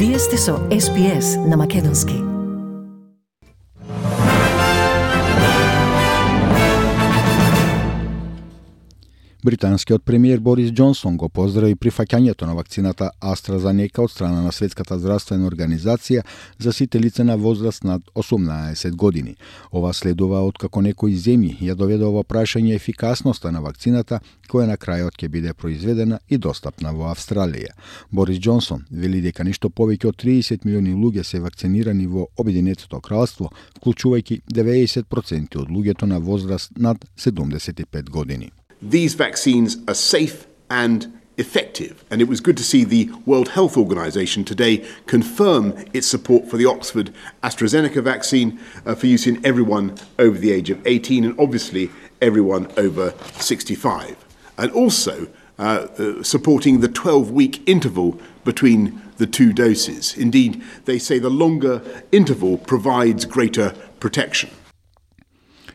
Вие сте со SPS на Македонски. Британскиот премиер Борис Џонсон го поздрави прифаќањето на вакцината AstraZeneca од страна на Светската здравствена организација за сите лица на возраст над 18 години. Ова следува откако некои земји ја доведе во прашање ефикасноста на вакцината, која на крајот ќе биде произведена и достапна во Австралија. Борис Џонсон вели дека ништо повеќе од 30 милиони луѓе се вакцинирани во Обединетото кралство, вклучувајќи 90% од луѓето на возраст над 75 години. These vaccines are safe and effective, and it was good to see the World Health Organization today confirm its support for the Oxford AstraZeneca vaccine for use in everyone over the age of 18 and obviously everyone over 65. And also supporting the 12-week interval between the two doses. Indeed, they say the longer interval provides greater protection.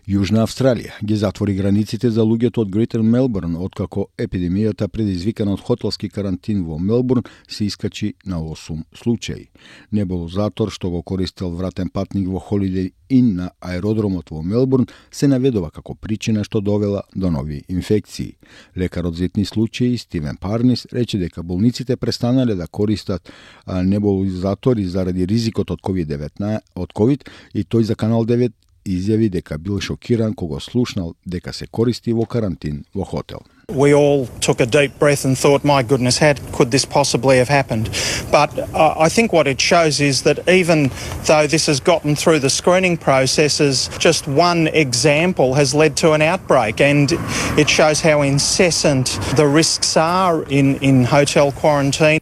Јужна Австралија ги затвори границите за луѓето од Грейтер Мелбурн, откако епидемијата предизвикана од хотелски карантин во Мелбурн се искачи на 8 случаи. Небулозатор што го користел вратен патник во Holiday Inn на аеродромот во Мелбурн се наведува како причина што довела до нови инфекции. Лекарот за етни случаи Стивен Парнис рече дека болниците престанале да користат небулозатори заради ризикот од COVID и тој за Канал 9 изјави дека бил шокиран кога слушнал дека се користи во карантин во хотел. We all took a deep breath and thought, my goodness, how could this possibly have happened? But I think what it shows is that even though this has gotten through the screening processes, just one example has led to an outbreak, and it shows how incessant the risks are in hotel quarantine.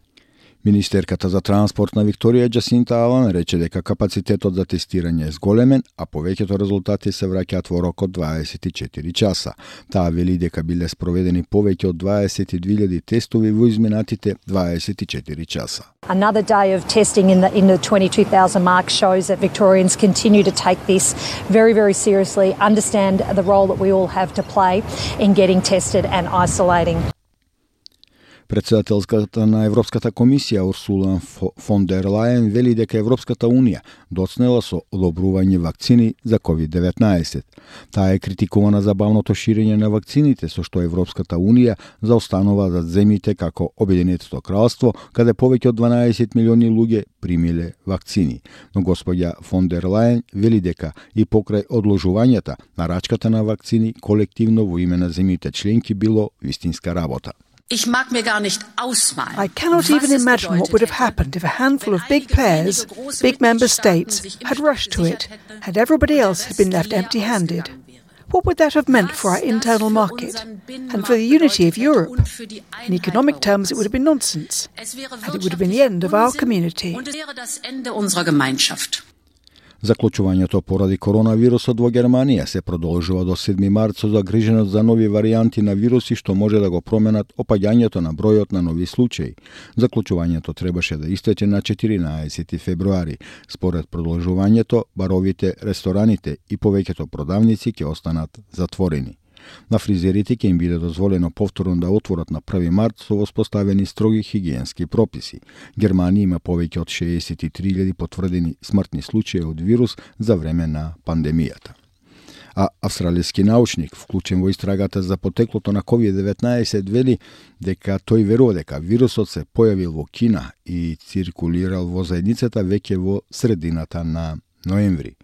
Министерката за транспорт на Викторија Джасинта Алан рече дека капацитетот за тестирање е зголемен, а повеќето резултати се враќаат во рок од 24 часа. Таа вели дека биле спроведени повеќе од 22.000 тестови во изминатите 24 часа. Another day of testing in the 22,000 mark shows that Victorians continue to take this very, very seriously, understand the role that we all have to play in getting tested and isolating. Председателката на Европската комисија Урсула фон дер Лајен вели дека Европската унија доцнела со одобрување вакцини за COVID-19. Таа е критикувана за бавното ширење на вакцините, со што Европската унија заостанува зад земјите како Обединетото кралство, каде повеќе од 12 милиони луѓе примиле вакцини. Но господја фон дер Лајен вели дека и покрај одложувањата на рачката на вакцини колективно во име на земјите членки било вистинска работа. I cannot even imagine what would have happened if a handful of big players, big member states, had rushed to it, and everybody else had been left empty-handed. What would that have meant for our internal market and for the unity of Europe? In economic terms, it would have been nonsense, and it would have been the end of our community. Заклучувањето поради коронавирусот во Германија се продолжува до 7 март со загриженост за нови варијанти на вируси што може да го променат опаѓањето на бројот на нови случаи. Заклучувањето требаше да истече на 14 февруари. Според продолжувањето, баровите, рестораните и повеќето продавници ќе останат затворени. На фризерите ќе им биде дозволено повторно да отворат на 1 март со воспоставени строги хигиенски прописи. Германија има повеќе од 63.000 потврдени смртни случаи од вирус за време на пандемијата. А австралијски научник, вклучен во истрагата за потеклото на COVID-19, вели дека тој верува дека вирусот се појавил во Кина и циркулирал во заедницата веќе во средината на ноември.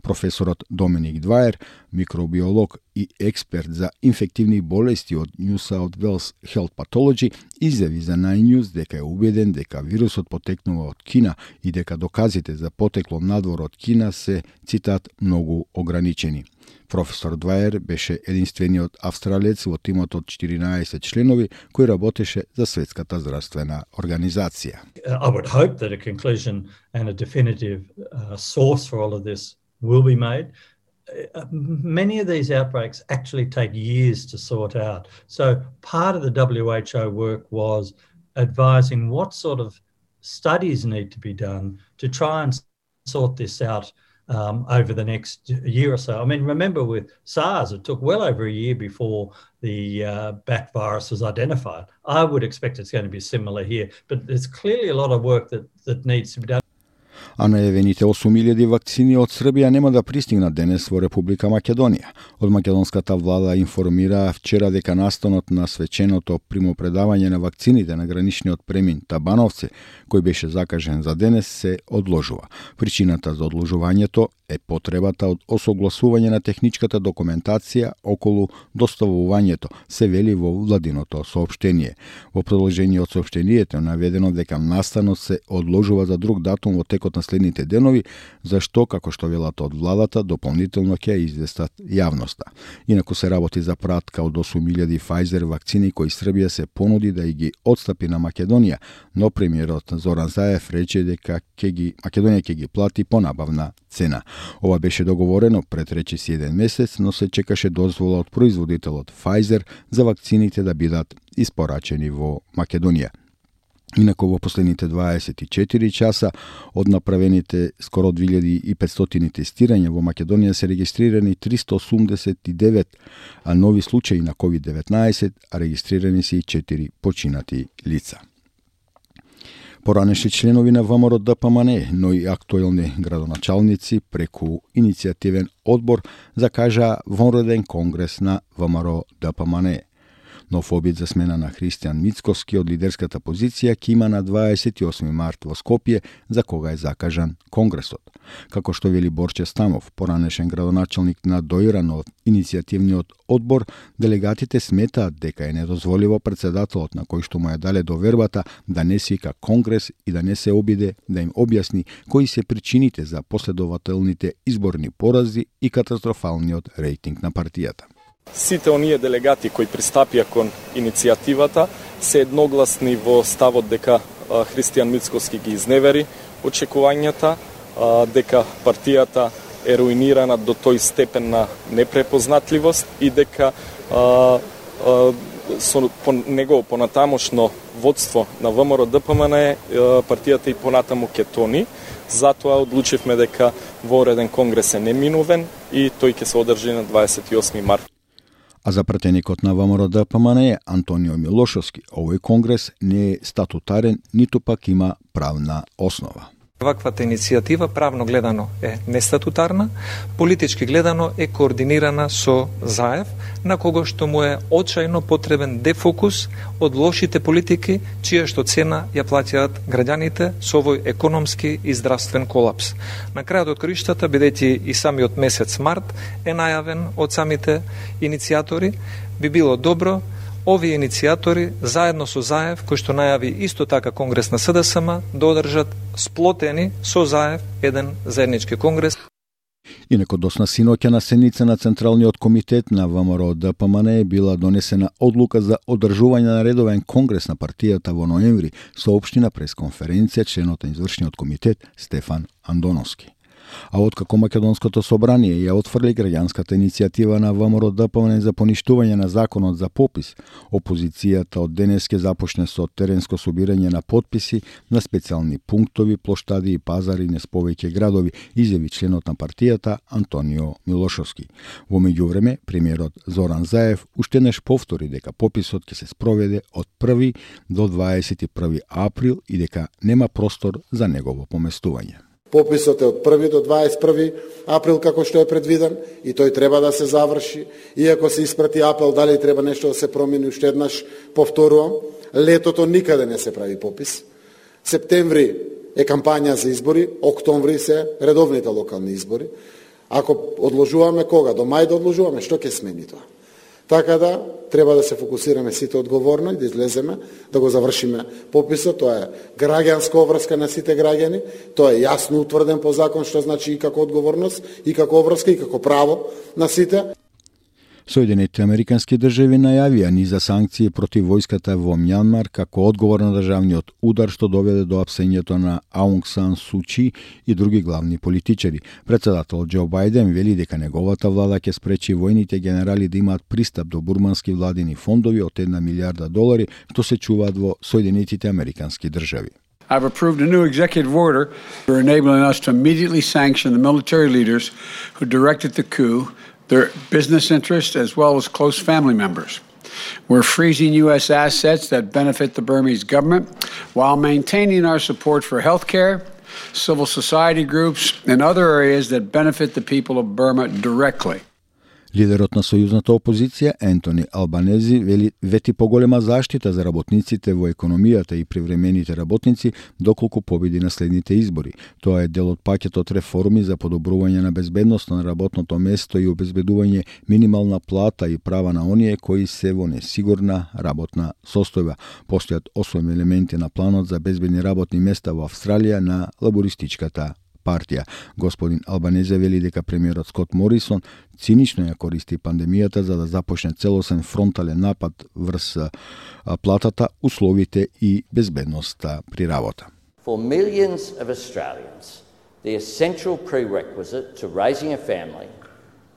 Професорот Доминик Дваер, микробиолог и експерт за инфективни болести од New South Wales Health Pathology, изјави за Nine News дека е убеден дека вирусот потекнува од Кина и дека доказите за потекло надвор од Кина се, цитат, многу ограничени. Професор Дваер беше единствениот австралиец во тимот од 14 членови кој работеше за Светската здравствена организација. I would hope that a conclusion and a definitive source for all of this will be made. Many of these outbreaks actually take years to sort out. So part of the WHO work was advising what sort of studies need to be done to try and sort this out over the next year or so. I mean, remember with SARS, it took well over a year before the bat virus was identified. I would expect it's going to be similar here, but there's clearly a lot of work that needs to be done. А најавените 8.000 вакцини од Србија нема да пристигнат денес во Република Македонија. Од македонската влада информира вчера дека настанот на свеченото примопредавање на вакцините на граничниот премин Табановци, кој беше закажен за денес, се одложува. Причината за одложувањето е потребата од осогласување на техничката документација околу доставувањето, се вели во владиното соопштение. Во продолжение од соопштението наведено дека настанот се одложува за друг датум во текот на следните денови, зашто, како што велат од владата, дополнително ќе известат јавноста. Инаку се работи за пратка од 8.000 Pfizer вакцини кои Србија се понуди да и ги отстапи на Македонија, но премиерот Зоран Заев рече дека Македонија ќе ги плати по набавна цена. Ова беше договорено пред речиси 1 месец, но се чекаше дозвола од производителот Pfizer за вакцините да бидат испорачени во Македонија. Инаку во последните 24 часа од направените скоро 2500 тестирања во Македонија се регистрирани 389 нови случаи на COVID-19, а регистрирани се и 4 починати лица. Поранешни членови на ВМРО ДПМН, но и актуелни градоначалници преку иницијативен одбор закажаа вонреден конгрес на ВМРО ДПМН. Нов обид за смена на Христијан Мицкоски од лидерската позиција ќе има на 28 март во Скопје, за кога е закажан конгресот. Како што вели Борче Стамов, поранешен градоначалник на Доиран од иницијативниот одбор, делегатите сметаат дека е недозволиво председателот, на кој што му ја дале довербата, да не свика конгрес и да не се обиде да им објасни кои се причините за последователните изборни порази и катастрофалниот рейтинг на партијата. Сите оние делегати кои пристапија кон иницијативата се едногласни во ставот дека Христијан Мицкоски ги изневери очекувањата, дека партијата е руинирана до тој степен на непрепознатливост и дека со негово понатамошно водство на ВМРО ДПМН партијата и понатаму ќе тони. Затоа одлучивме дека вонреден конгрес е неминувен и тој ќе се одржи на 28 март. А за пратеникот на ВМРО ДПМН Антонио Милошовски, овој конгрес не е статутарен, ниту пак има правна основа. Ваквата иницијатива правно гледано е нестатутарна, политички гледано е координирана со Заев, на кого што му е очајно потребен дефокус од лошите политики, чија што цена ја плаќаат граѓаните со овој економски и здравствен колапс. На крајот од краиштата, бидејќи и самиот месец март е најавен од самите иницијатори, би било добро овие иницијатори, заедно со Заев, кој што најави исто така конгрес на СДСМ, да одржат сплотени со Заев еден заеднички конгрес. Инаку досна синоќа на седница на Централниот комитет на ВМРО ДПМН била донесена одлука за одржување на редовен конгрес на партијата во ноември, соопшти на пресконференција членот на извршниот комитет Стефан Андоновски. А откако Македонското собрание ја отфрли граѓанската иницијатива на ВМРО ДПМН за поништување на законот за попис, опозицијата од денес ќе започне со теренско собирање на потписи на специјални пунктови, плоштади и пазари низ повеќе градови, изјави членот на партијата Антонио Милошовски. Во меѓувреме, премиерот Зоран Заев уште еднаш повтори дека пописот ќе се спроведе од 1 до 21 април и дека нема простор за негово поместување. Пописот е од 1 до 21 април како што е предвиден и тој треба да се заврши. Иако се испрати апел, дали треба нешто да се промени, уште еднаш повторувам, летото никаде не се прави попис. Септември е кампања за избори, октомври се редовните локални избори. Ако одложуваме кога? До мај да одложуваме, што ќе смени тоа? Така да, треба да се фокусираме сите одговорно и да излеземе, да го завршиме пописот. Тоа е граѓанска обврска на сите граѓани, тоа е јасно утврден по закон, што значи и како одговорност, и како обврска, и како право на сите. Соединетите американски држави најавија низа санкции против војската во Мјанмар како одговор на државниот удар што доведе до апсењето на Аунг Сан Су Чи и други главни политичари. Председателот Џо Бајден вели дека неговата влада ќе спречи војните генерали да имаат пристап до бурмански владини фондови од $1 милиарда, што се чуваат во Соединетите американски држави. I've approved a new executive order for enabling us to immediately sanction the military leaders who directed the coup, their business interests, as well as close family members. We're freezing U.S. assets that benefit the Burmese government while maintaining our support for healthcare, civil society groups, and other areas that benefit the people of Burma directly. Лидерот на сојузната опозиција Ентони Албанези вети поголема заштита за работниците во економијата и привремените работници доколку победи на следните избори. Тоа е дел од пакетот реформи за подобрување на безбедноста на работното место и обезбедување минимална плата и права на оние кои се во несигурна работна состојба. Постојат 8 елементи на планот за безбедни работни места во Австралија на лабористичката партија. Господин Албанезе вели дека премиерот Скот Морисон цинично ја користи пандемијата за да започне целосен фронтален напад врз платата, условите и безбедноста при работа. For millions of Australians, the essential prerequisite to raising a family,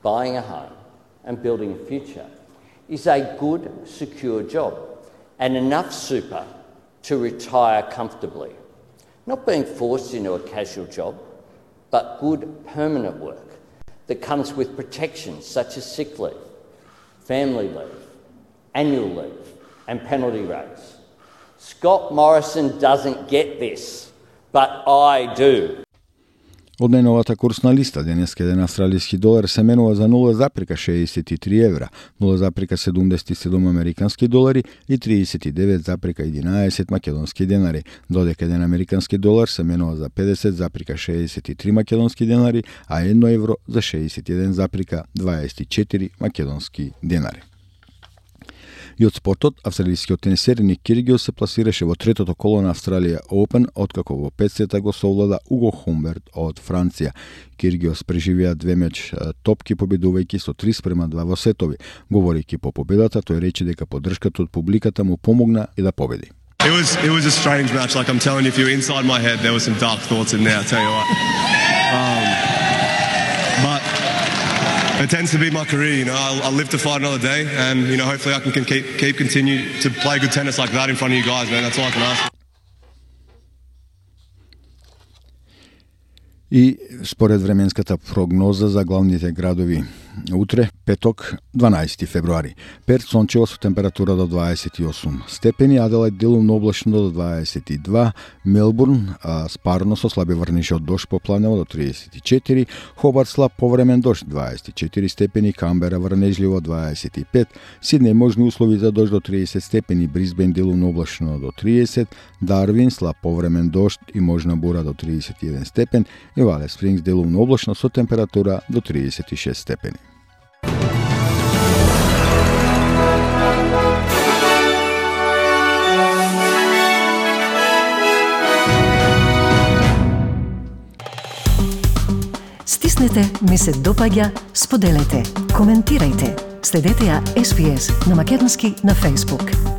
buying a home and building a future is a good, secure job and enough super to retire comfortably. Not being forced into a casual job, but good permanent work that comes with protections such as sick leave, family leave, annual leave and penalty rates. Scott Morrison doesn't get this, but I do. Од најновата курсна листа, денеска еден австралиски долар се менува за 0,63 евра, 0,77 американски долари и 39,11 македонски денари, додека еден американски долар се менува за 50,63 македонски денари, а 1 евро за 61,24 македонски денари. И од спортот, австралискиот тенисер Ник Киргиос се пласираше во третото коло на Австралија Open, откако во 5 го совлада Уго Хумберт од Франција. Киргиос преживеа 2 меч топки, победувајќи со 3:2 во сетови. Говорејќи по победата, тој рече дека поддршката од публиката му помогна и да победи. It was a strange match. Like I'm telling you, if you're inside my head, there were some dark thoughts in there. I tell you what. But it tends to be my career, you know. I'll live to fight another day, and you know, hopefully I can continue to play good tennis like that in front of you guys, man. That's all I can ask. И според временската прогноза за главните градови утре, петок, 12 февруари. Перт сончево со температура до 28 степени, Аделајд делумно облачно до 22, Мелбурн спарно со слаби врнежи од дожд попланево до 34, Хобарт слаб повремен дожд 24 степени, Камбера врнежливо 25, Сиднеј можни услови за дожд до 30 степени, Брисбен делумно облачно до 30, Дарвин слаб повремен дожд и можна бура до 31 степен и Вале Спрингс делумно облачно со температура до 36 степени. Стиснете ми се допаѓа, споделете, коментирајте. Следете ја SPS на Македонски на Facebook.